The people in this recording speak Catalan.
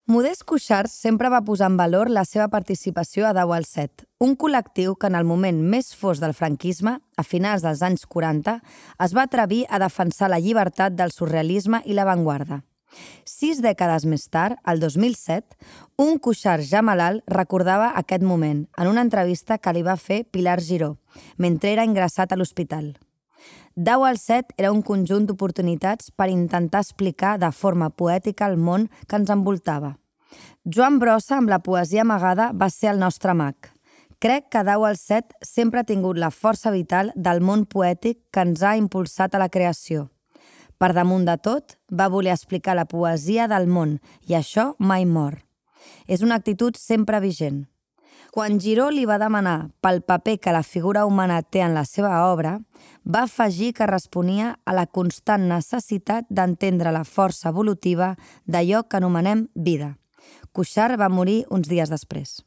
Modest Cuixart sempre va posar en valor la seva participació a Dau al Set, un col·lectiu que en el moment més fosc del franquisme, a finals dels anys 40, es va atrevir a defensar la llibertat del surrealisme i l'avantguarda. 6 dècades més tard, el 2007, un Cuixart ja malalt recordava aquest moment en una entrevista que li va fer Pilar Giró, mentre era ingressat a l'hospital. Dau al Set era un conjunt d'oportunitats per intentar explicar de forma poètica el món que ens envoltava. Joan Brossa, amb la poesia amagada, va ser el nostre mag. Crec que Dau al Set sempre ha tingut la força vital del món poètic que ens ha impulsat a la creació. Per damunt de tot, va voler explicar la poesia del món i això mai mor. És una actitud sempre vigent. Quan Giró li va demanar pel paper que la figura humana té en la seva obra, va afegir que responia a la constant necessitat d'entendre la força evolutiva d'allò que anomenem vida. Cuixart va morir uns dies després.